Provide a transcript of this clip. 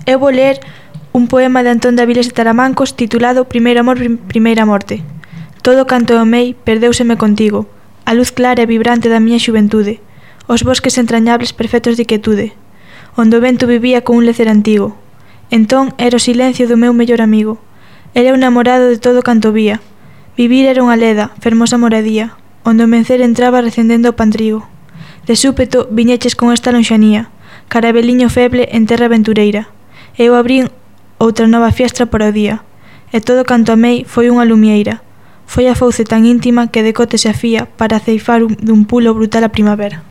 Eu vou ler un poema de Antón de Avilés de Taramancos titulado Primeiro amor, primeira morte. Todo canto eu amei perdéuseme contigo, a luz clara e vibrante da miña xuventude, os bosques entrañables perfectos de quietude, onde o vento vivía con un lecer antigo. Entón era o silencio do meu mellor amigo. Era un namorado de todo canto vía. Vivir era unha leda, fermosa moradía, onde o mencer entraba recendendo o pantrigo. De súpeto viñeches con esta lonxanía, carabeliño feble en terra aventureira. Eu abrín outra nova fiestra para o día, e todo canto amei foi unha lumieira. Foi a fouce tan íntima que decote se afía para ceifar dun pulo brutal a primavera.